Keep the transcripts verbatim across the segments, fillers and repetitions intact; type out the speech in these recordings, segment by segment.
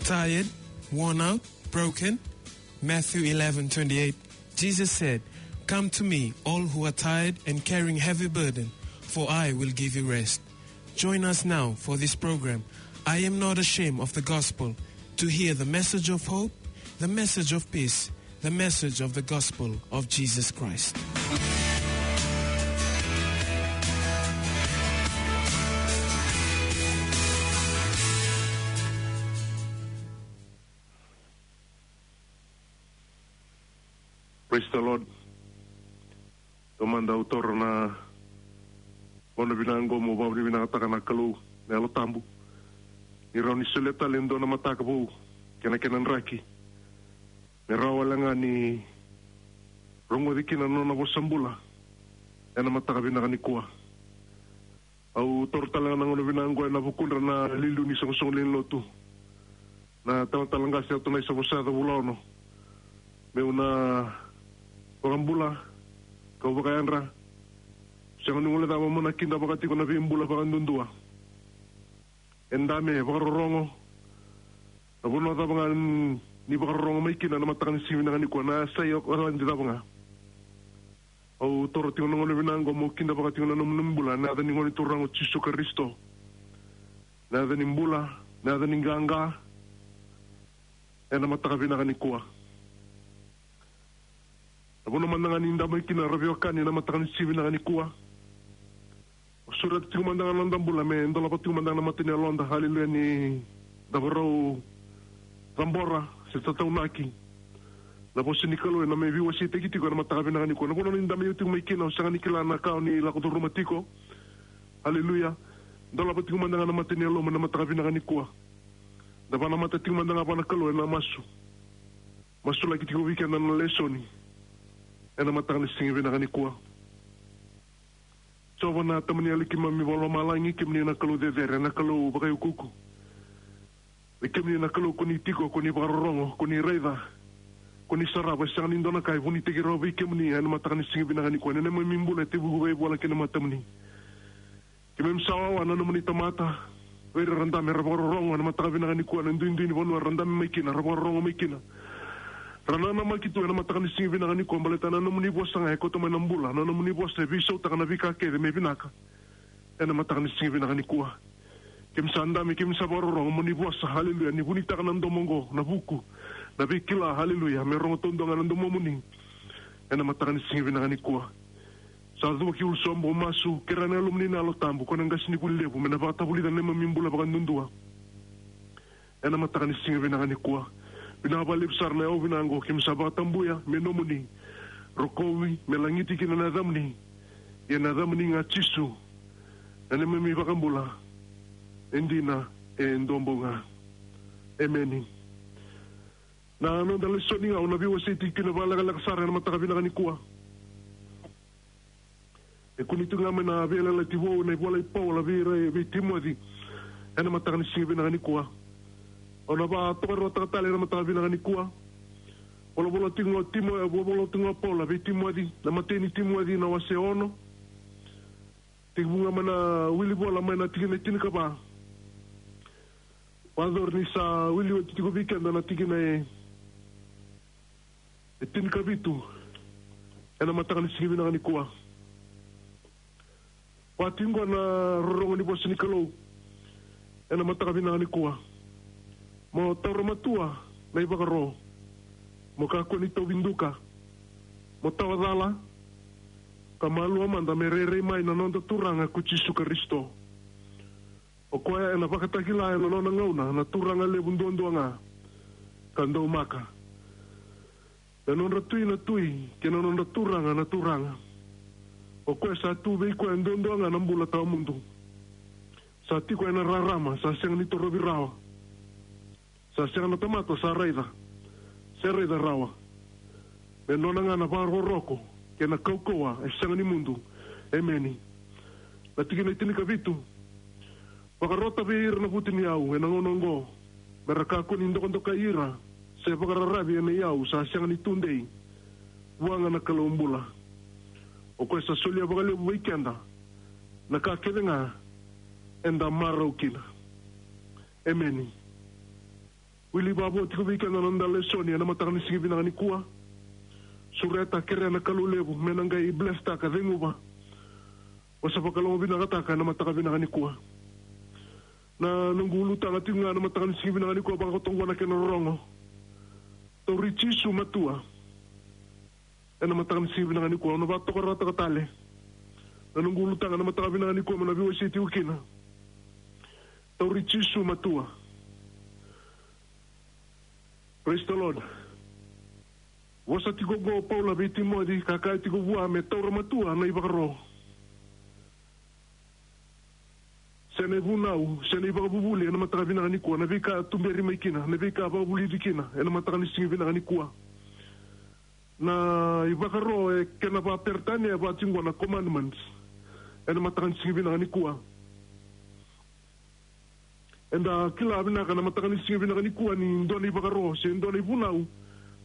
Tired, worn out, broken? Matthew eleven twenty-eight. Jesus said, "Come to me, all who are tired and carrying heavy burden, for I will give you rest." Join us now for this program, I Am Not Ashamed of the Gospel, to hear the message of hope, the message of peace, the message of the gospel of Jesus Christ. Praise the Lord. Taumada au taura na gauna vinaka qo meu vakavinavinakataka na Kalou na Yalo Tabu ni rawa ni solia tale e dua na mataka vou kei na kena draki me rawa wale ga ni rogoci kina na nona vosa bula ena mataka vinaka nikua. Au taura tale ga na gauna vinaka qo ena vukudra na liuliu ni soqosoqo lewe ni lotu, na talatala qase Atunaisa Vosayaca Vulaono, meu na vakabula kau vakayadra. Sega ni guilecava meu na kidavaka tiko na veibula vakaduadua. E dame, vakarorogo. Na vanua cava ga ni vakarorogo mai kina ena mataka ni siga vinaka nikua, na yasai o Okaladi cava ga. Au taura tiko na gauna vinaka qo meu kidavaka tiko na nomuni bula ena yaca ni Gone Turaga o Jisu Karisito. Na yaca ni bula, na yaca ni qaqa ena mataka vinaka nikua. Na vanua mada ga ni da mai kina ra veiwekani ena mataka ni siga vinaka nikua. Au sureta tiko mada ga na noda bula me dolava tiko mada ga na mata ni yaloda, haleluya, ni da vakarau cabora se tataunaki na vosa ni Kalou ena mai veiwaseitaki tiko ena mataka vinaka nikua. Na vanua ni da mai tiko mai kina, au sega ni kila na ka o ni lako curuma tiko. Haleluya. Dolava tiko mada ga na mata ni yalomu ena mataka vinaka nikua. Da vakanamata tiko mada ga vua na Kalou ena masu. Masulaki tiko vei keda na lesoni ena mataka ni siga vinaka nikua. Jiova na Tamani yali keimami vakalomalagi, kemuni na Kalou cecere, na Kalou vakaiukuuku. Vei kemuni na Kalou ko ni tiko, ko ni vakarorogo, ko ni raica, ko ni sarava, e sega ni dua na ka e vunitaki rawa vei kemuni ena mataka ni siga vinaka nikua. Na neimami bula e tevuki vakaivola ki na matamuni. Keimami sa wawa na nomuni tamata, vei ira ra dame, ra vakarorogo ena mataka vinaka nikua ena duidui ni vanua ra dame mai kina, ra vakarorogo mai kina. Ra nanamaki tu ena mataka ni siga vinaka nikua baleta na nomuni vosa ga e kauta mai na bula, na nomuni vosa e veisautaka na veika kece me vinaka ena mataka ni siga vinaka nikua. Keimami sa dame, keimami sa vakarorogo mo ni vosa, haleluya, ni vunitaka na domo oqo, na vuku, na veikila, haleluya, me rogo taudua ga na domomuni ena mataka ni siga vinaka nikua. Sa cuva ki ulu sobu, masu, kerea na Yalomuni na Yalo Tabu, ko na qasenivuli levu, me na vakatavulica na neimami bula vakaduadua ena mataka ni siga vinaka nikua. Vinaka vakalevu sara na yakavi vinaka oqo, keimami sa vakatabuya me nomuni. Rokovi me lagiti kina na yacamuni. Ia na yacamuni ga Jisu, na neimami iVakabula e dina, e duabau ga. Emeni. Na noda lesoni ga au na veiwasei tiko kina vakalekaleka sara ena mataka vinaka nikua. E kune tu ga mai na Veiyalayalati Vou, na ivola i Paula vei ira, vei Timoci, ena mataka ni siga vinaka nikua. Au na vakatokaruataka tale ena mataka vinaka nikua. Volavola tiko ga o Timo-, volavola tiko ga o Paula vei Timoci, na imatai ni Timoci na wase ono. Tekivu ga mai na wili vola mai na tikina e tinikava. Vakayacori ni sa wili oti tiko vei keda na tikina e, e tinikavitu ena mataka ni siga vinaka nikua. Vaka tiko oqo na rorogo ni vosa ni Kalou ena mataka vinaka nikua. Mo taura matua na ivakaro, mo kakua ni tauvi duka, mo tawa cala, ka malua mada me rairai mai na noda Turaga ko Jisu Karisito. O koya ena vakatakila ena nona gauna na Turaga levu duadua ga ka daumaka, na nodra tui na tui kei na nodra turaga na turaga. O koya sa tu vei koya duadua ga na bula tawamudu. Sa tiko ena rarama, sa sega ni torovi rawa. Sa sega na tamata sa raica se raica rawa. Me nona ga na vakarokoroko kei na kaukauwa e sega ni mudu. Emeni. Na tikina e tinikavitu. Vakarota vei ira na vutuniyau ena gauna oqo, me ra kakua ni dokadokai ira se vakararavi ena iyau sa sega ni tudei, vua ga na Kalou bula. O koya sa solia vakalevu vei keda na ka kece ga eda marau kina. Emeni. Wili vavo tiko vei keda na noda lesoni ena mataka ni siga vinaka nikua. Sureta, kerea na Kalou levu me na qai blesstaka, ceguva. Vosa vakalomavinakataka ena mataka vinaka nikua. Na noqu ulutaga tiko ga ena mataka ni siga vinaka nikua, vakakoto qo na kena rorogo: Tauri Jisu matua ena mataka ni siga vinaka nikua. Au na vakatokarataka tale na noqu ulutaga ena mataka vinaka nikua me na veiwasei tiko kina. Tauri Jisu matua. Praise the Lord. Vosa tiko qo o Paula vei Timoci, ka kaya tiko vua me taura matua na ivakaro se na ivunau se na ivakavuvuli ena mataka vinaka nikua, na veika tuberi mai kina, na veika vakavulici kina ena mataka ni siga vinaka nikua. Na ivakaro e kena vakaperitania e vaka tiko qo na commandments ena mataka ni siga vinaka nikua. Eda kila vinaka na mataka ni siga vinaka nikua ni dua na ivakaro se dua na ivunau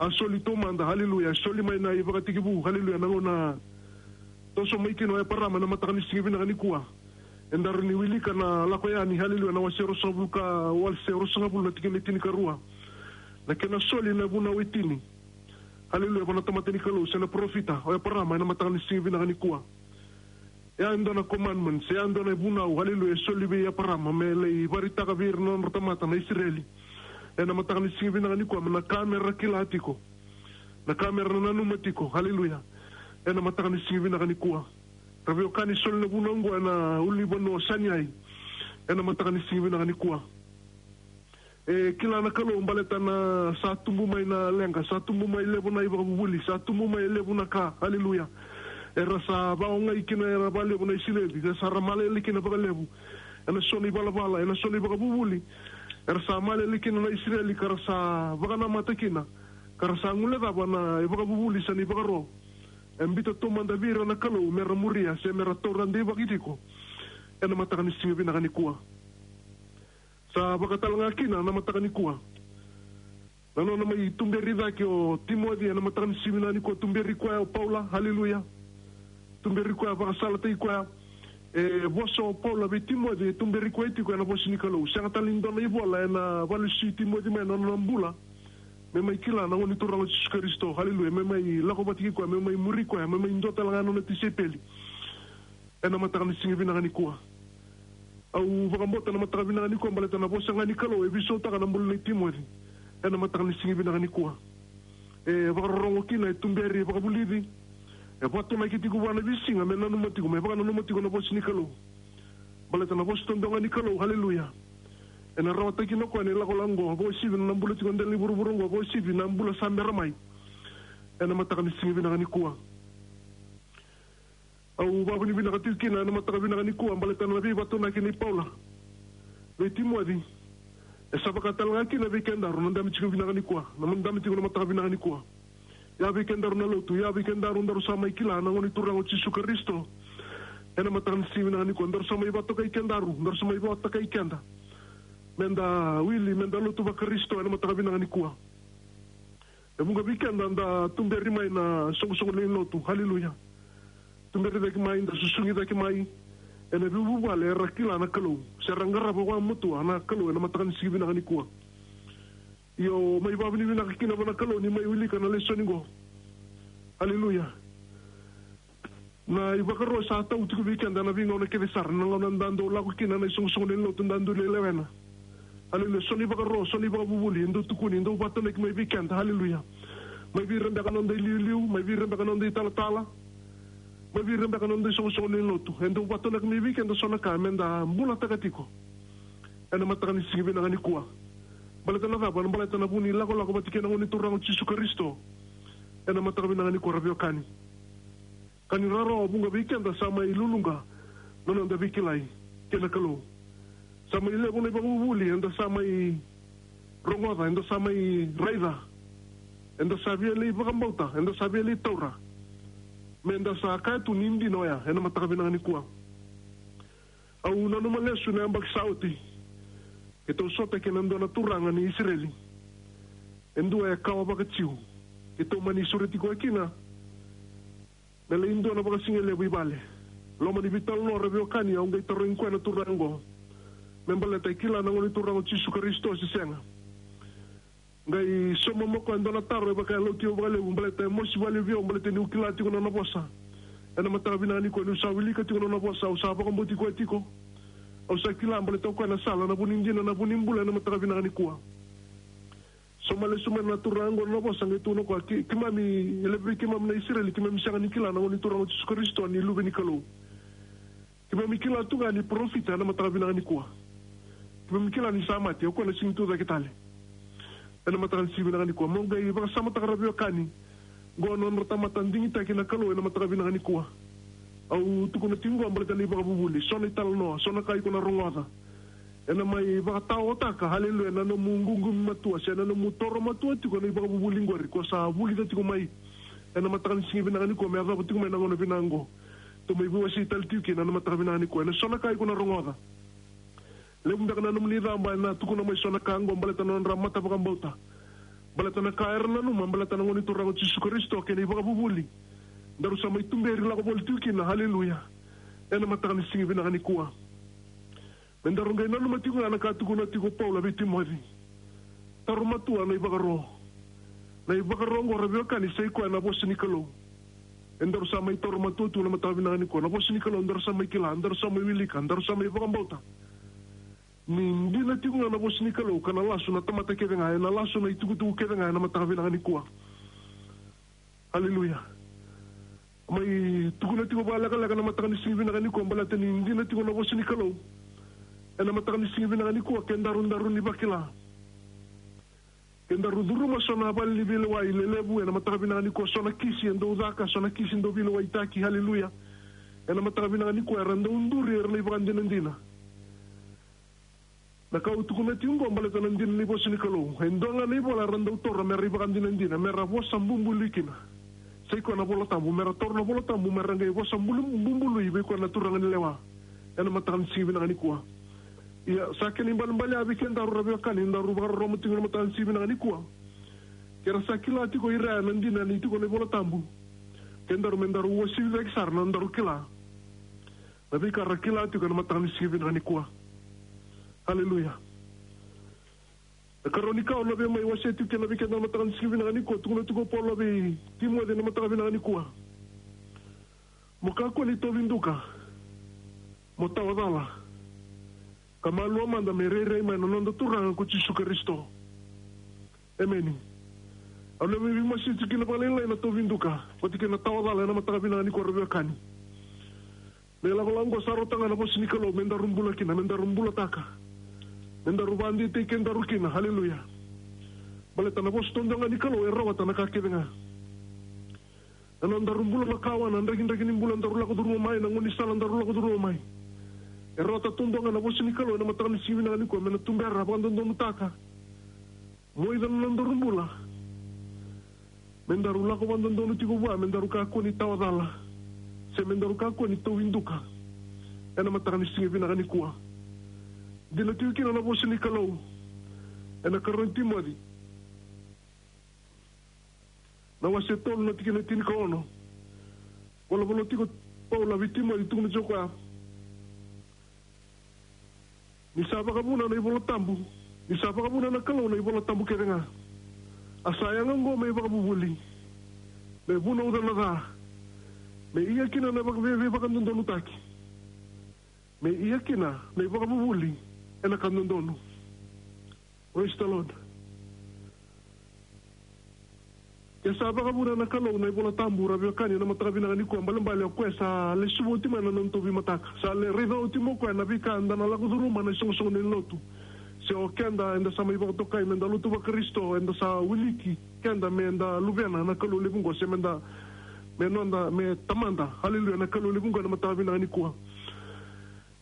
a soli taumada, haleluya, a soli mai na ivakatekivu, haleluya, na gauna toso mai kina o Eparama ena mataka ni siga vinaka nikua. Eda rawa ni wilika na Lako Yani, haleluya, na wase ruasagavulu ka, wase ruasagavulu na tikina e tinikarua. Na kena soli na vunau e tini, haleluya, vua na tamata ni Kalou se na parofita o Eparama ena mataka ni siga vinaka nikua. E a dua na commandment, e a dua na vunau, haleluya, e soli vei Eparama me lai vakaraitaka vei ira na nodra tamata na Isireli ena mataka ni siga vinaka nikua, me na ka me ra kila tiko, na ka me ra nanuma tiko, haleluya, ena mataka ni siga vinaka nikua. Ra veiwekani, soli na vunau oqo ena ulunivanua o Saineai ena mataka ni siga vinaka nikua. E kila na Kalou baleta na sa tubu mai na leqa, sa tubu mai levu na ivakavuvuli, sa tubu mai levu na ka, haleluya, era sa vakaogai kina era vakalevu na Isireli, era sa ra malele kina vakalevu ena so na ivalavala, ena so na ivakavuvuli era sa malele kina na Isireli, ka ra sa vakanamata kina, ka ra sa guilecava na ivakavuvuli se na ivakaro e biuta taumada vei ira na Kalou me ra muria se me ra taura deivaki tiko ena mataka ni siga vinaka nikua. Sa vaka tale ga kina na mataka nikua na nona mai tuberi cake o Timoci ena mataka ni siga vinaka nikua. Tuberi koya o Paula, haleluya. Tuberi koya, vakasalataki koya. E vosa o Paula vei Timoci, e tuberi koya tiko ena vosa ni Kalou. Sega tale ni dua na ivola ena vakalesui Timoci mai na nona bula me mai kila na Gone Turaga o Jisu Karisito, haleluya, me mai lako vata kei koya, me mai muri koya, me mai dua tale ga na nona tisaipeli ena mataka ni siga vinaka nikua. Au vakabauta na mataka vinaka nikua baleta na vosa ga ni Kalou e veisautaka na bula nei Timoci ena mataka ni siga vinaka nikua. E vakarorogo kina, e tuberi, e vakavulici, e vakatonaki tiko vua na veisiga me nanuma tiko, me vakananuma tiko na vosa ni Kalou. Baleta na vosa duadua ga ni Kalou, haleluya, ena rawataki kina o koya na ilakolako oqo, vakauasivi na bula tiko e dela ni vuravura oqo, vakauasivi na bula sa bera mai ena mataka ni siga vinaka nikua. Au vakavinavinaka tiko kina ena mataka vinaka nikua baleta na veivakatonaki nei Paula vei Timoci. E sa vaka tale ga kina vei kedaru na dabe tiko vinaka nikua, na dabe tiko na mataka vinaka nikua. Ia vei kedaru na lotu, ia vei kedaru daru sa mai kila na Gone Turaga o Jisu Karisito ena mataka ni siga vinaka nikua, daru sa mai vakatokai kedaru, daru sa mai vakatokai keda me da wili, me da lotu vaKarisito ena mataka vinaka nikua. E vuqa vei keda da tuberi mai na soqosoqo lewe ni lotu, haleluya. Tuberi cake mai, da susugi cake mai ena veivuvale era kila na Kalou se ra qarava vakamatua na Kalou ena mataka ni siga vinaka nikua. Io, mai vakavinavinaka kina vua na Kalou ni mai wilika na lesoni qo, haleluya. Na ivakaro sa tau tiko vei keda ena veigauna kece sara, na gauna da dau lako kina na isoqosoqo lewe ni lotu, da dau lai lewena. Haleluya. So na ivakaro, so na ivakavuvuli e dau tukuni, e dau vakatonaki mai vei keda, haleluya, mai vei ira beka na noda iliuliu, mai vei ira beka na noda italatala, mai vei ira beka na noda isoqosoqo lewe ni lotu. E dau vakatonaki mai vei keda so na ka me da bulataka tiko ena mataka ni siga vinaka nikua. Baleta na cava? Baleta na vu ni lakolako vata kei na Gone Turaga o Jisu Karisito ena mataka vinaka nikua, ra veiwekani. Ka ni rarawa, vuqa vei keda sa mai luluqa na noda veikilai kei na Kalou. Sa mai levu na ivakavuvuli eda sa mai rogoca, eda sa mai raica, eda sa via lai vakabauta, eda sa via lai taura, me da sa kaya tu ni dina oya ena mataka vinaka nikua. Au nanuma lesu na yabaki sa oti, keitou sota kei na dua na turaga ni Isireli, e dua e kawa vakaJiu. Keitou mani sureti koya kina me lai dua na vakasigalevu i vale. Loma ni veitalanoa, ra veiwekani, au qai tarogi koya na turaga oqo me baleta e kila na Gone Turaga o Jisu Karisito se sega. Qai sauma mai o koya e dua na taro e vaka e lauti au vakalevu, baleta e mosi vakalevu vei au, baleta niu kila tiko na nona vosa. Ena mataka vinaka nikua, niu sa wilika tiko na nona vosa, au sa vakabauti koya tiko. Au sa kila baleta o koya na sala, na vu ni dina, na vu ni bula, ena mataka vinaka nikua. Sauma lesu mai na turaga qo na nona vosa, qai tukuna o koya, ke-, keimami, e levu vei keimami na Isireli, keimami sega ni kila na Gone Turaga o Jisu Karisito ni Luve ni Kalou. Keimami kila tu ga ni parofita ena mataka vinaka nikua. Keimami kila ni sa mate, o koya na sega ni tucake tale. Ena mataka ni siga vinaka nikua, mo qai vakasamataka, ra veiwekani. Qo na nodra tamata digitaki na Kalou ena mataka vinaka nikua. Au tukuna tiko qo baleta na ivakavuvuli, so na italanoa, so na ka iko na rogoca. Ena mai vakataotaka, haleluya, na nomu ququmi matua, se na nomu toro matua tiko na ivakavuvuli qori ko sa vulica tiko mai. Ena mataka ni siga vinaka nikua, me yacova tiko mai na gauna vinaka qo. Tou mai veiwasei tale tiko kina ena mataka vinaka nikua. Ena so na ka iko na rogoca. Levu beka na nomuni caba ena tukuna mai so na ka qo baleta na nodra mata vakabauta. Baleta na ka era nanuma, baleta na Gone Turaga o Jisu Karisito kei na ivakavuvuli. Daru sa mai tuberi lako voli tiko kina, haleluya. Ena mataka ni siga vinaka nikua. Me daru qai nanuma tiko ga na ka tukuna tiko o Paula vei Timoci. Taro matua na ivakaro. Na ivakaro qo, ra veiwekani, sa i koya na vosa ni Kalou. E daru sa mai taro matua tu na mataka vinaka nikua. Na vosa ni Kalou daru sa mai kila, daru sa mai wilika, daru sa mai vakabauta. Ni dina tiko ga na vosa ni Kalou, ka na lasu na tamata kece ga, ena lasu na itukutuku kece ga ena mataka vinaka nikua. Haleluya. Mai tukuna tiko vakalekaleka na mataka ni siga vinaka nikua, baleta ni dina tiko na vosa ni Kalou. Ena mataka ni siga vinaka nikua, ke daru, daru ni vakila. Ke daru curuma so na vale ni veilewai lelevu, ena mataka vinaka nikua, so na kisi e dau caka, so na kisi e dau veilewaitaki, haleluya. Ena mataka vinaka nikua, era dau duri, era na ivakadinadina. Na ka au tukuna tiko qo baleta na dina ni vosa ni Kalou. E dua ga na ivola era dau taura mera ivakadinadina, mera vosa bubului kina. Sa i koya na iVola Tabu, mera taura na iVola Tabu, mera qai vosa bulu-, bubului vei koya na turaga ni lewa. Ena mataka ni siga vinaka nikua. Ia, sa kena ibalebale ya vei kedaru, ra veiwekani, daru vakarorogo tiko ena mataka ni siga vinaka nikua. Ke ra sa kila tiko o ira na dina ni tiko na iVola Tabu. Kedaru me daru uasivi cake sara na nodaru kila na veika ra kila tiko ena mataka ni siga vinaka nikua. Haleluya. Na ikarua ni ka au na via mai wasea tiko kina vei keda ena mataka ni siga vinaka nikua, tukuna tiko o Paula vei Timoci ena mataka vinaka nikua. Mo kakua ni tauvi duka, mo tawa cala, ka malua mada me rairai mai na noda Turaga ko Jisu Karisito. Emeni. Au na via veimasei tiko kina vakalailai na tauvi duka vata kei na tawa cala ena mataka vinaka nikua, ra veiwekani. Na ilakolako qo sa rauta ga na vosa ni Kalou me daru bula kina, me daru bulataka, me daru vakadeitaki kedaru kina. Haleluya. Baleta na vosa taudua ga ni Kalou e rawata na ka kece ga. Na nodaru bula makawa, na drakidraki ni bula daru lako curuma mai, na gaunisala daru lako curuma mai, e rawata taudua ga na vosa ni Kalou ena mataka ni siga vinaka nikua me na tubera, vakadodonutaka. Mo iko na nodaru bula. Me daru lako vakadodonu tiko vua, me daru kakua ni tawa cala, se me daru kakua ni tauvi duka ena mataka ni siga vinaka nikua. Dina tiko kina na vosa ni Kalou ena ikarua ni Timoci na wase tolu na tikina e tinikaono. Volavola tiko o Paula vei Timoci, tukuna tiko o koya. Ni sa vakavuna na iVola Tabu, ni sa vakavuna na Kalou na iVola Tabu kece ga, a sa yaga oqo me ivakavuvuli, me vunauca na ca, me ia kina na vaka-, vei-, veivakadodonutaki, me ia kina na ivakavuvuli ena ka dodonu. Praise the Lord. Ke sa vakavuna na Kalou na iVola Tabu, ra veiwekani, ena mataka vinaka nikua, balebale o koya sa lesuva oti mai na nona tauvi mataka. Sa lai raica oti mai o koya na veika eda na lako curuma ena isoqosoqo ni lotu. Se o keda eda sa mai vakatokai meda lotu vaKarisito, eda sa wiliki keda meda luvena na Kalou levu qo, se meda, me noda, me tamada. Haleluya, na Kalou levu qo ena mataka vinaka nikua.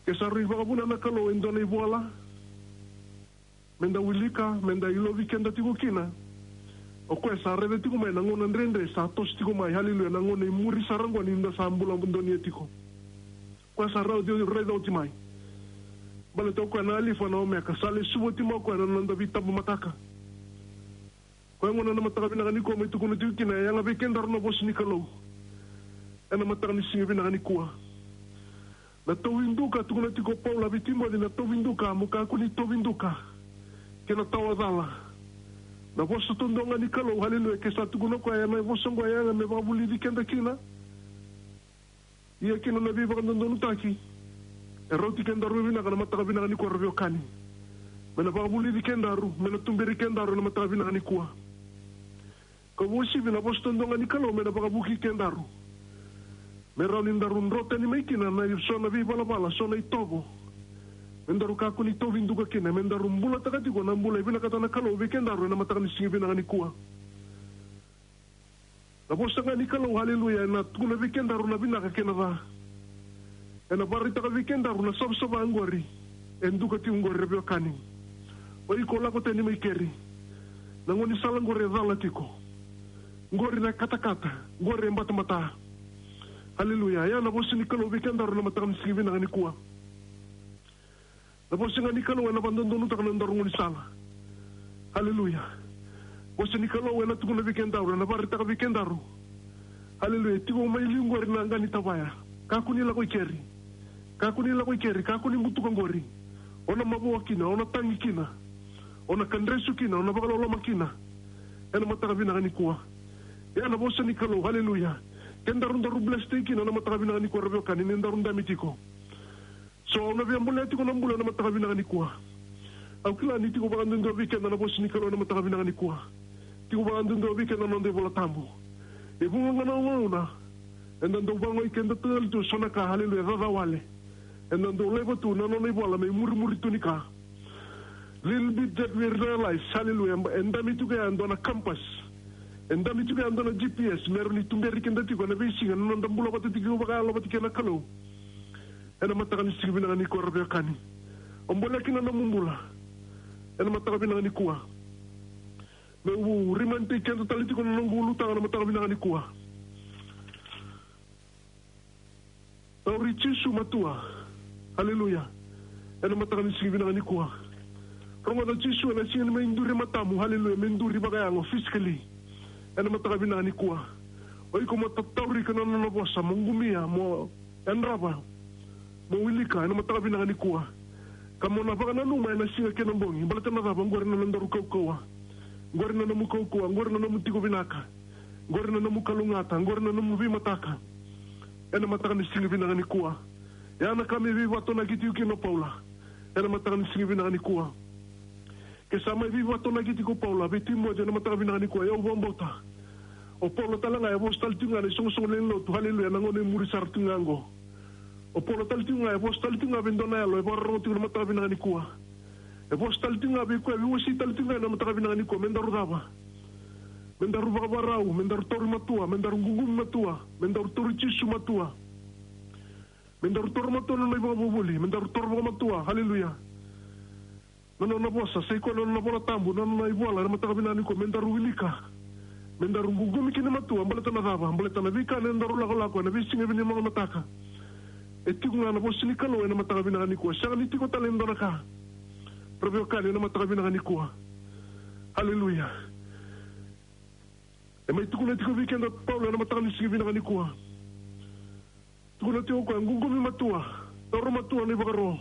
Ke sa rui vakavuna na Kalou e dua na ivola meda wilika, meda ilovi keda tiko kina, o koya sa raica tiko mai na gauna dredre sa toso tiko mai. Haleluya. Na gauna i muri sara oqo ni da sa bula donuya tiko, o koya sa raica, raica oti mai. Baleta o koya na Alifa, na Omeka, sa lesuva oti mai o koya na noda veitabu mataka. Koya gona na mataka vinaka nikua mai tukuna tiko kina, e yaga vei kedaru na vosa ni Kalou ena mataka ni siga vinaka nikua. Na tauvi duka, tukuna tiko o Paula vei Timoci, na tauvi duka, mo kakua ni tauvi duka kei na tawa cala. Na vosa taudua ga ni Kalou, haleluya, ke sa tukuna o koya, e na vosa oqo e yaga me vakavulici keda kina. Ia kina na veivakadodonutaki, e rauti kedaru vinaka na mataka vinaka nikua, ra veiwekani. Me na vakavulici kedaru, me na tuberi kedaru na mataka vinaka nikua. Ka uasivi na vosa taudua ga ni Kalou me na vakavuki kedaru. Me rawa ni daru dro tani mai kina na so na veivalavala, so na itovo. Me daru kakua ni tauvi duka kina, me daru bulataka tiko na bula e vinakata na Kalou vei kedaru e na mataka ni siga vinaka nikua. Na vosa ga ni Kalou, haleluya, e na tukuna vei kedaru na vinaka kei na ca. E na vakaraitaka vei kedaru na savasava oqori e duka tiko oqori, ra veiwekani. O iko lako tani mai keri. Na gaunisala oqori e cala tiko. Oqori na katakata, oqori e batabata. Haleluya. Ia na vosa ni Kalou vei kedaru na mataka ni siga vinaka nikua. Na vosa ga ni Kalou e na vakadodonutaka na nodaru gaunisala. Haleluya. Vosa ni Kalou e na tukuna vei kedaru, e na vakaraitaka vei kedaru. Haleluya. Tiko mai liu oqori na qa ni tavaya. Kakua ni lako i keri. Kakua ni lako i keri, kakua ni butuka oqori. O na mavoa kina, o na tagi kina. O na kadresu kina, o na vakaloloma kina. E na mataka vinaka nikua. Ia na vosa ni Kalou, haleluya. Kedaru daru blessed kina na mataka vinaka nikua, ra veiwekani, ni daru dami tiko. So au na via bolea tiko na bula na mataka vinaka nikua. Au kila ni tiko vakaduadua vei keda na vosa ni Kalou na mataka vinaka nikua. Tiko vakaduadua vei keda na noda iVola Tabu. E vuqa ga na gauna eda dau vagoi keda tale tu so na ka, haleluya, caca wale. Eda dau laiva tu na nona ivola me murimuri tu ni ka. Little bit that we realize, haleluya, e dami tiko ya e dua na compass. E dami tiko ya e dua na G P S me rawa ni tuberi keda tiko e na veisiga na noda bula vata tiko vakayalo vata kei na Kalou. E na mataka ni siga vinaka nikua, ra veiwekani. O bolea kina na nomu bula e na mataka vinaka nikua. Meu remind-taki keda tale tiko na noqu ulutaga na mataka vinaka nikua. Tauri Jisu matua. Haleluya. E na mataka ni siga vinaka nikua. Rogoca Jisu e na siga ni mai duri e matamu. Haleluya. Me duri vakayago physically. E na mataka vinaka nikua. O iko mo tatauri iko na nona vosa, mo qumia, mo yadrava, mo wilika e na mataka vinaka nikua. Ka mo na vakananuma e na siga kei na bogi. Baleta na cava? Oqori na nodaru kaukauwa. Oqori na nomu kaukauwa, oqori na nomu tiko vinaka. Oqori na nomu kalougata, oqori na nomu veimataka. E na mataka ni siga vinaka nikua. Ia na ka me veivakatonaki tiko kina o Paula e na mataka ni siga vinaka nikua. Ke sa mai veivakatonaki tiko o Paula vei Timoci e na mataka vinaka nikua, ia au vakabauta o Paula tale ga e vosa tale tiko ga na isoqosoqo lewe ni lotu, haleluya, na gauna e muri sara tiko ga oqo. O Paula tale tiko ga e vosa tale tiko ga vei dua na yalo e vakarorogo tiko na mataka vinaka nikua. E vosa tale tiko ga vei koya, veiwasei tale tiko ga na mataka vinaka nikua, me daru cava? Me daru vakavakarau, me daru tauri matua, me daru ququmi matua, me daru tauri Jisu matua. Me daru taura matua na nona ivakavuvuli, me daru taura vakamatua, haleluya. Na nona vosa, sa i koya na nona iVola Tabu, na nona ivola, na mataka vinaka nikua, me daru wilika. Me daru ququmi kina matua, baleta na cava? Baleta na veika na daru lakolako e na veisiga vinaka mataka. E tiko ga na vosa ni Kalou e na mataka vinaka nikua. Sega ni tiko tale e dua na ka, ra veiwekani, e na mataka vinaka nikua. Haleluya. E mai tukuna tiko vei keda o Paula e na mataka ni siga vinaka nikua. Tukuna tiko o koya, ququmi matua, taura matua na ivakaro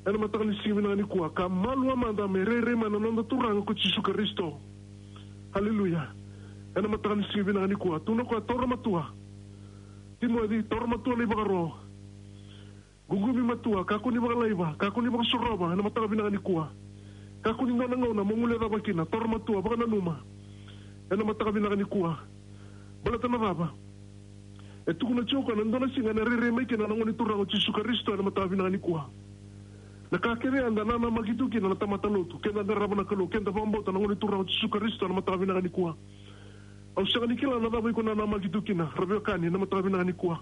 e na mataka ni siga vinaka nikua, ka malua mada me rairai mai na noda Turaga ko Jisu Karisito. Haleluya. E na mataka ni siga vinaka nikua, tukuna o koya, taura matua. Timoci, taura matua na ivakaro. Ququmi matua, kakua ni vakalaiva, kakua ni vakasorova e na mataka vinaka nikua. Kakua ni dua na gauna mo guilecava kina, taura matua, vakananuma e na mataka vinaka nikua. Baleta na cava? E tukuna tiko o koya, na dua na siga ena rairai mai kina na Gone Turaga o Jisu Karisito e na mataka vinaka nikua. Na ka kece eda nanamaki tu kina na tamata lotu, keda qarava na Kalou, keda vakabauta na Gone Turaga o Jisu Karisito e na mataka vinaka nikua. Au sega ni kila na cava iko nanamaki tu kina, ra veiwekani, e na mataka vinaka nikua.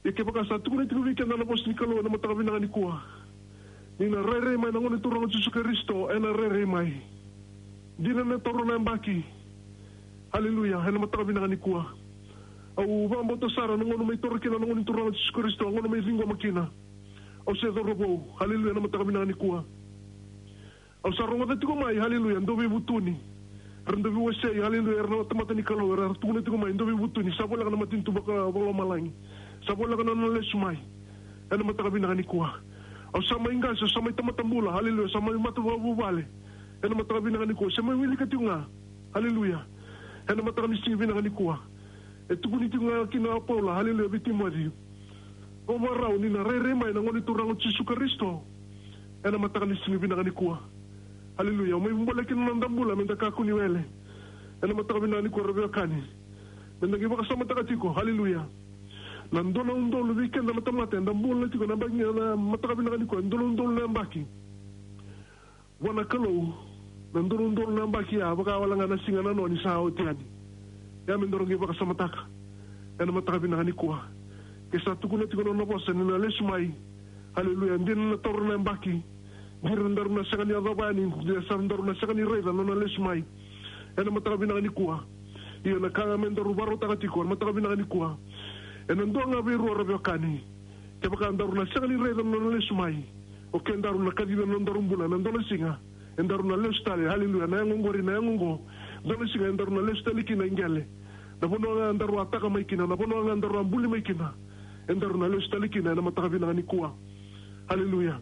Ia kevaka sa tukuna tiko vei keda na vosa ni Kalou e na mataka vinaka nikua, ni na rairai mai na Gone Turaga o Jisu Karisito, ena rairai mai. Dina na taura na yabaki. Haleluya, e na mataka vinaka nikua. Au vakabauta sara na gauna mai taura kina na Gone Turaga o Jisu Karisito, a gauna mai ciqoma kina. Au se cauravou. Haleluya, e na mataka vinaka nikua. Au sa rogoca tiko mai, haleluya, dau veivutuni. Era dau veiwasei, haleluya, era na tamata ni Kalou, era tukuna tiko mai, dau veivutuni, sa voleka na matanitu vaka, vakalomalagi. Sa voleka na nona lesu mai. E na mataka vinaka nikua. Au sa mai qase, au sa mai tamata bula, haleluya, au sa mai matavuvale. Ena mataka vinaka nikua, se mai wilika tiko ga. Haleluya. Ena mataka ni siga vinaka nikua. E tukuni tiko ga kina o Paula, haleluya, vei Timoci. O marau ni na rairai mai na Gone Turaga o Jisu Karisito. Ena mataka ni siga vinaka nikua. Haleluya. O mai vubole kina na noda bula, meda kakua ni wele. Ena mataka vinaka nikua, ra veiwekani. Meda qai vakasamataka tiko, haleluya. Na dua na udolu vei keda na tamata, eda bula tiko na baki, na mataka vinaka nikua, dua na udolu na yabaki. Vua na Kalou, na dua na udolu na yabaki ya, vaka wale ga na siga na noa ni sa oti yani. Ia me daru qai vakasamataka. Ena mataka vinaka nikua. Ke sa tukuna tiko na nona vosa ni na lesu mai. Haleluya. Dina na taura na yabaki. Dina daru na sega ni yacova yani, dina sa daru na sega ni raica na nona lesu mai. Ena mataka vinaka nikua. Ia na ka ga me daru varautaka tiko, ena mataka vinaka nikua. Ena dua ga vei rua, ra veiwekani. Kevaka daru na sega ni raica na nona lesu mai, o kedaru na kacivi na nodaru bula ena dua na siga, edaru na lesu tale, haleluya, na yago oqori, na yago oqo. Dua na siga edaru na lesu tale kina i qele. Na vanua ga daru a taka mai kina, na vanua ga daru a buli mai kina, edaru na lesu tale kina ena mataka vinaka nikua. Haleluya.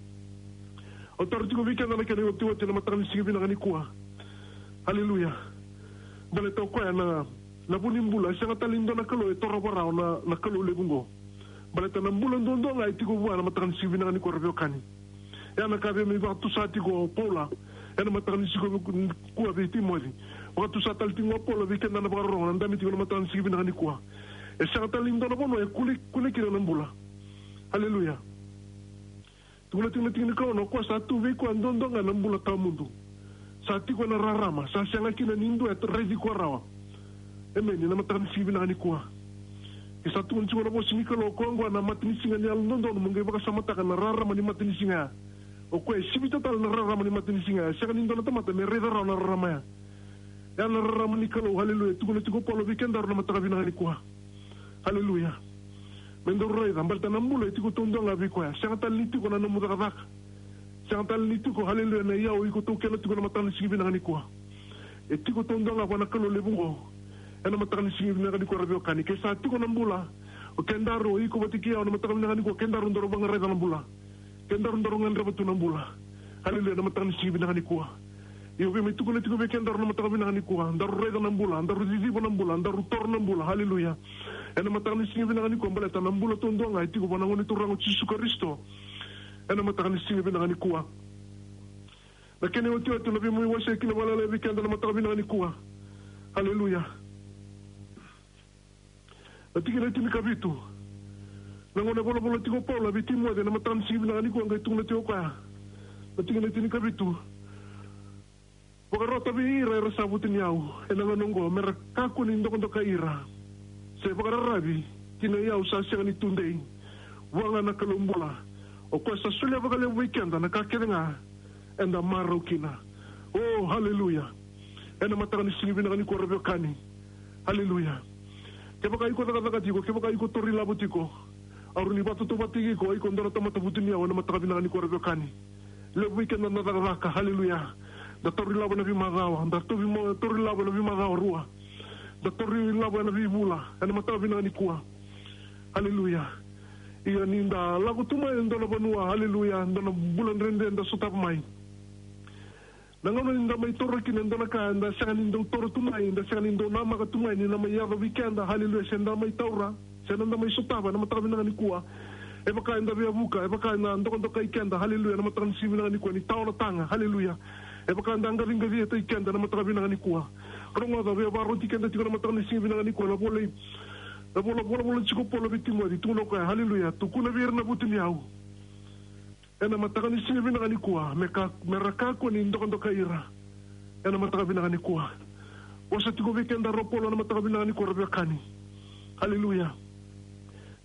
Au taro tiko vei keda na kena iotioti ena mataka ni siga vinaka nikua. Haleluya. Baleta o koya na, na vu ni bula, e sega tale ni dua na Kalou e torova rawa na, na Kalou levu oqo. Baleta na bula duadua ga e tiko vua ena mataka ni siga vinaka nikua, ra veiwekani. Ia na ka vei me vakatusa tiko o Paula ena mataka ni siga nikua vei Timoci. Vakatusa tale tiko o Paula vei keda na vakarorogo, na dabe tiko ena mataka ni siga vinaka nikua. E sega tale ni dua na vanua e kune, kune kina na bula. Haleluya. Tukuna tiko na tiki ni Kalou, o koya sa tu vei koya duadua ga na bula tawamudu. Sa tiko ena rarama, sa sega kina ni dua e raici koya rawa. Emeni, ena mataka ni siga vinaka nikua. Ke sa tukuna tiko na vosa ni Kalou, o koya oqo na matanisiga ni yalododonu, mo qai vakasamataka na rarama ni matanisiga ya. O koya e sivita tale na rarama ni matanisiga ya, sega ni dua na tamata me raica rawa na rarama ya. Ya na rarama ni Kalou, haleluya. Tukuna tiko o Paula vei kedaru na mataka vinaka nikua. Haleluya. Me daru raica, baleta na bula e tiko taudua ga vei koya. Sega tale ni tiko na nomu cakacaka. Sega tale ni tiko, haleluya, na iyau iko taukena tiko ena mataka ni siga vinaka nikua. E tiko taudua ga vua na Kalou levu oqo. Ena mataka ni siga vinaka nikua, ra veiwekani. Ke sa tiko na bula, o kedaru, o iko vata kei au ena mataka vinaka nikua, kedaru daru vakaraica na bula. Kedaru daru gadreva tu na bula. Haleluya, ena mataka ni siga vinaka nikua. Io, vei me tukuna tiko vei kedaru na mataka vinaka nikua. Daru raica na bula, daru ciciva na bula, daru toro na bula. Haleluya. Ena mataka ni siga vinaka nikua, baleta na bula taudua ga e tiko vua na Gone Turaga o Jisu Karisito. Ena mataka ni siga vinaka nikua. Na kena iotioti, na vei me wasea kina vakalailai vei keda na mataka vinaka nikua. Haleluya. Na tikina e tinikavitu. Na gauna e volavola tiko o Paula vei Timoci ena mataka ni siga vinaka nikua, qai tukuna tiko o koya. Na tikina e tinikavitu. Vakarota vei ira era sa vutuniyau ena gauna oqo, mera kakua ni dokadokai ira se vakararavi ki na iyau sa sega ni tudei. Vua ga na Kalou bula, o koya sa solia vakalevu vei keda na ka kece ga eda marau kina. Oh, haleluya. Ena mataka ni siga vinaka nikua, ra veiwekani. Haleluya. Kevaka iko cakacaka tiko, kevaka iko tauri lavo tiko, au rawa ni vakatautauvatataki iko, iko dua na tamata vutuniyau ena mataka vinaka nikua, ra veiwekani. Levu vei keda na cakacaka, haleluya. Da tauri lavo ena veimacawa, da tauri mo-, tauri lavo ena veimacawa rua. Da tauri lavo ena veivula, ena mataka vinaka nikua. Haleluya. Ia ni da lako tu mai e dua na vanua, haleluya, dua na bula dredre da sotava mai. Na gauna ni da mai taura kina e dua na ka, da sega ni dau taura tu mai, da sega ni dau namaka tu mai ni na mai yaco vei keda, haleluya, se da mai taura, se da mai sotava ena mataka vinaka nikua. E vaka eda veivuke, e vaka eda dokadokai keda, haleluya, ena mataka ni siga vinaka nikua, ni tawa na taga, haleluya. E vaka eda qaciqaciataki keda ena mataka vinaka nikua. Rogoca, via vakaroti keda tiko ena mataka ni siga vinaka nikua na vola, na vola, volavola tiko o Paula vei Timoci, tukuna o koya, haleluya, tukuna vei ira na vutuniyau ena mataka ni siga vinaka nikua, me ka, mera kakua ni dokadokai ira ena mataka vinaka nikua. Vosa tiko vei kedaru o Paula ena mataka vinaka nikua, ra veiwekani. Haleluya.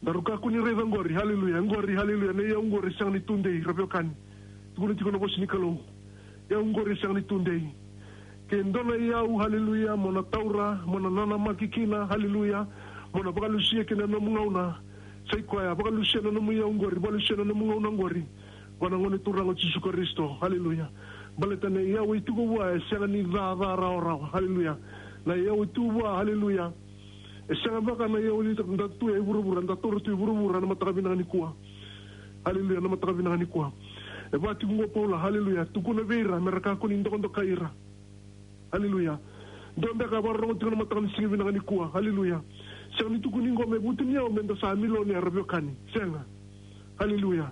Daru kakua ni raica oqori, haleluya, oqori, haleluya, na iyau oqori e sega ni tudei, ra veiwekani. Tukuna tiko na vosa ni Kalou. Iyau oqori e sega ni tudei. Ke dua na iyau, haleluya, mo na taura, mo na nanamaki kina, haleluya, mo na vakalusia kina na nomu gauna. Sa i koya, vakalusia na nomu iyau oqori, vakalusia na nomu gauna oqori. Vua na Gone Turaga o Jisu Karisito, haleluya. Baleta na iyau e tiko vua e sega ni ca, ca rawarawa, haleluya. Na iyau e tu vua, haleluya, e sega vaka na iyau ni da tu e vuravura, da taura tu e vuravura ena mataka vinaka nikua. Haleluya, ena mataka vinaka nikua. E vaka tiko qo o Paula, haleluya, tukuna vei ira me ra kakua ni dokadokai ira. Haleluya. Dua beka e vakarorogo tiko na mataka ni siga vinaka nikua. Haleluya. Sega ni tukuni qo me vutuniyau me da sa milionea, ra veiwekani. Sega. Haleluya.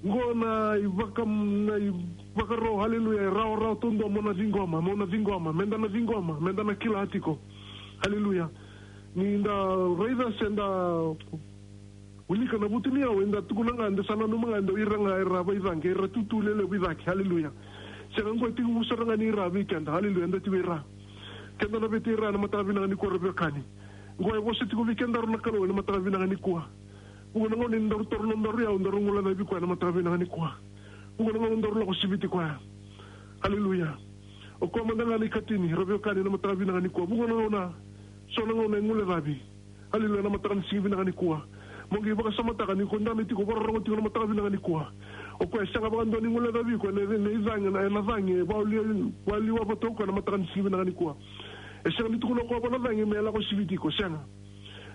Qo na ivaka, na ivakaro, haleluya, e rawarawa taudua mo na ciqoma, mo na ciqoma, me da na ciqoma, me da na kila tiko. Haleluya. Ni da raica se da wilika na vutuniyau, eda tukuna ga, eda sa nanuma ga, eda o ira ga era vaicaqe, era tutu lelevu i cake. Haleluya. Sega, qo e tekivu sara ga ni ra vei keda. Haleluya. Eda tiko i ra. Keda na vei ira ena mataka vinaka nikua, ra veiwekani. Qo e vosa tiko vei kedaru na Kalou ena mataka vinaka nikua. Vuqa na gauna ni daru taura nodaru iyau, daru guilecavi koya ena mataka vinaka nikua. Vuqa na gauna daru lako siviti koya. Haleluya. O koya mada ga na ikatini, ra veiwekani, ena mataka vinaka nikua. Vuqa na gauna, so na gauna e guilecavi. Haleluya, ena mataka ni siga vinaka nikua. Mo qai vakasamataka ni ko dabe tiko, vakarorogo tiko ena mataka vinaka nikua. O koya e sega vakadua ni guilecavi iko ena, ena icagi, ena, ena cagi e vakaliwa, vakaliwa vata o koya ena mataka ni siga vinaka nikua. E sega ni tukuna o koya vua na cagi me lako siviti iko, sega.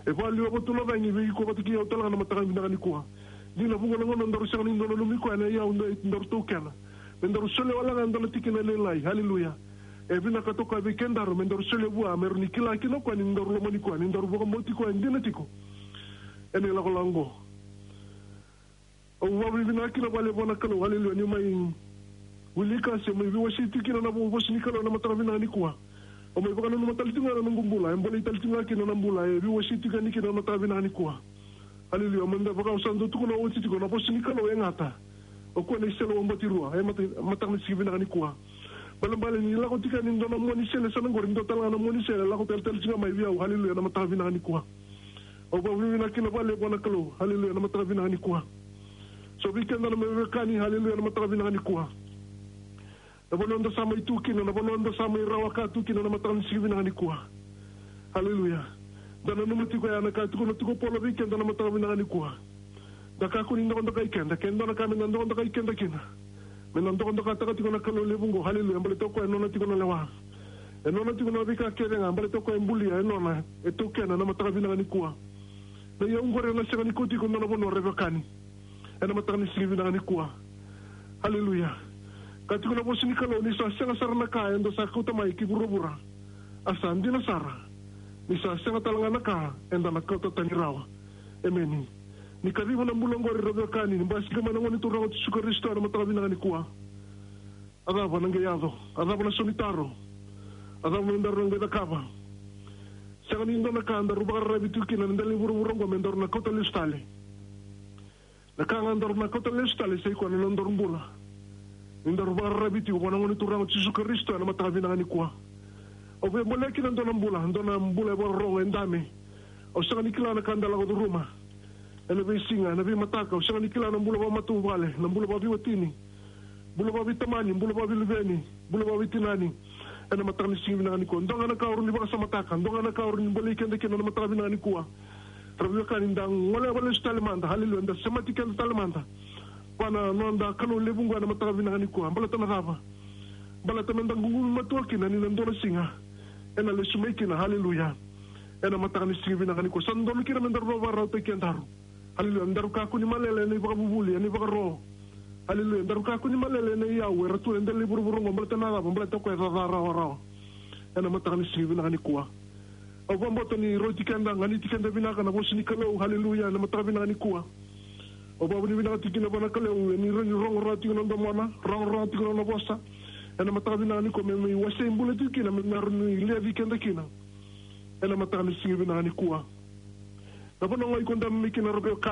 E vakaliwa vata na cagi vei iko vata kei au tale ga ena mataka vinaka nikua. Dina, vuqa na gauna daru sega ni dau nanumi koya ena iyau daru taukena. Me daru solia wale ga e dua na tikina lailai. Haleluya. E vinakata o koya vei kedaru me daru solia vua, me rawa ni kila kina o koya ni daru lomani koya, ni daru vakabauti koya dina tiko ena ilakolako oqo. Au vakavinavinaka kina vakalevu vua na Kalou, haleluya, niu mai wilika se mai veiwasei tiko kina na vo-, vosa ni Kalou ena mataka vinaka nikua. Au mai vakananuma tale tiko ga na noqu bula, e bolei tale tiko ga kina na bula e veiwasei tiko yani kina ena mataka vinaka nikua. Haleluya. Meda vaka au sa dau tukuna oti tiko, na vosa ni Kalou e gata. O koya na isele wabatirua, e mata-, mataka ni siga vinaka nikua. Balebale ni lako tiko yani e dua na mua ni sele, sa na qori, dua tale ga na mua ni sele e lako tale tale tiko ga mai vei au. Haleluya, ena mataka vinaka nikua. Au vakavinavinaka kina vakalevu vua na Kalou. Haleluya, ena mataka vinaka nikua. So vei keda na veiwekani, haleluya, ena mataka vinaka nikua. Na vanua da sa mai tu kina, na vanua da sa mai rawa ka tu kina ena mataka ni siga vinaka nikua. Haleluya. Da nanuma tiko ya na ka e tukuna tiko o Paula vei keda ena mataka vinaka nikua. Da kakua ni dokadokai keda, ke dua na ka me da dokadokai keda kina. Me da dokadokataka tiko na Kalou levu oqo, haleluya, baleta o koya e nona tiko na lewa. E nona tiko na veika kece ga, baleta o koya e bulia, e nona, e taukena ena mataka vinaka nikua. Na iyau oqori ena sega ni kauti iko e dua na vanua, ra veiwekani. Ena mataka ni siga vinaka nikua. Haleluya. Ka tukuna na vosa ni Kalou ni sa sega sara na ka eda sa kauta mai ki vuravura. A sa dina sara ni sa sega tale ga na ka eda na kauta tani rawa. Emeni. Ni kaciva na bula oqori, ra veiwekani, ni basika mai na Gone Turaga o Jisu Karisito ena mataka vinaka nikua. A cava na qai yaco? A cava na sau ni taro? A cava me daru na qai cakava? Sega ni dua na ka daru vakararavi tu kina ena dela ni vuravura oqo me daru na kauta lesu tale. Na ka ga daru na kauta lesu tale sa i koya na nodaru bula. Ni daru vakararavi tiko vua na Gone Turaga o Jisu Karisito ena mataka vinaka nikua. Au via bolea kina e dua na bula, e dua na bula e vakarorogo, e dabe. Au sega ni kila na ka da lako curuma ena veisiga, ena veimataka. Au sega ni kila na bula vakamatavuvale, na bula vakaveiwatini, bula vakaveitamani, bula vakaveiluveni, bula vakaveitinani. Ena mataka ni siga vinaka nikua, dua ga na ka au rawa ni vakasamataka, dua ga na ka au rawa ni bolei keda kina ena mataka vinaka nikua. Ra veiwekani, da goleva lesu tale mada, haleluya, da semati keda tale mada vua na noda Kalou levu oqo ena mataka vinaka nikua. Baleta na cava? Baleta me da ququmi matua kina ni na dua na siga ena lesu mai kina, haleluya. Ena mataka ni siga vinaka nikua, sa dodonu kina me daru vakarautaki kedaru. Haleluya. Daru kakua ni malele ena ivakavuvuli, ena ivakaro. Haleluya. Daru kakua ni malele ena iyau era tu ena dela ni vuravura oqo, baleta na cava? Baleta o koya e caca rawarawa. Ena mataka ni siga vinaka nikua, au vakabauta ni rauti keda, ganiti keda vinaka na vosa ni Kalou, haleluya, ena mataka vinaka nikua. Au vakavinavinaka tiko kina vua na Kalou, ni rawa ni rogo rawa tiko na domona, rogo rawa tiko na nona vosa. Ena mataka vinaka nikua, me mai wasei bula tiko kina, me mai rawa ni levi keda kina. Ena mataka ni siga vinaka nikua. Na vanua ga iko dabe mai kina, ra veiwekani,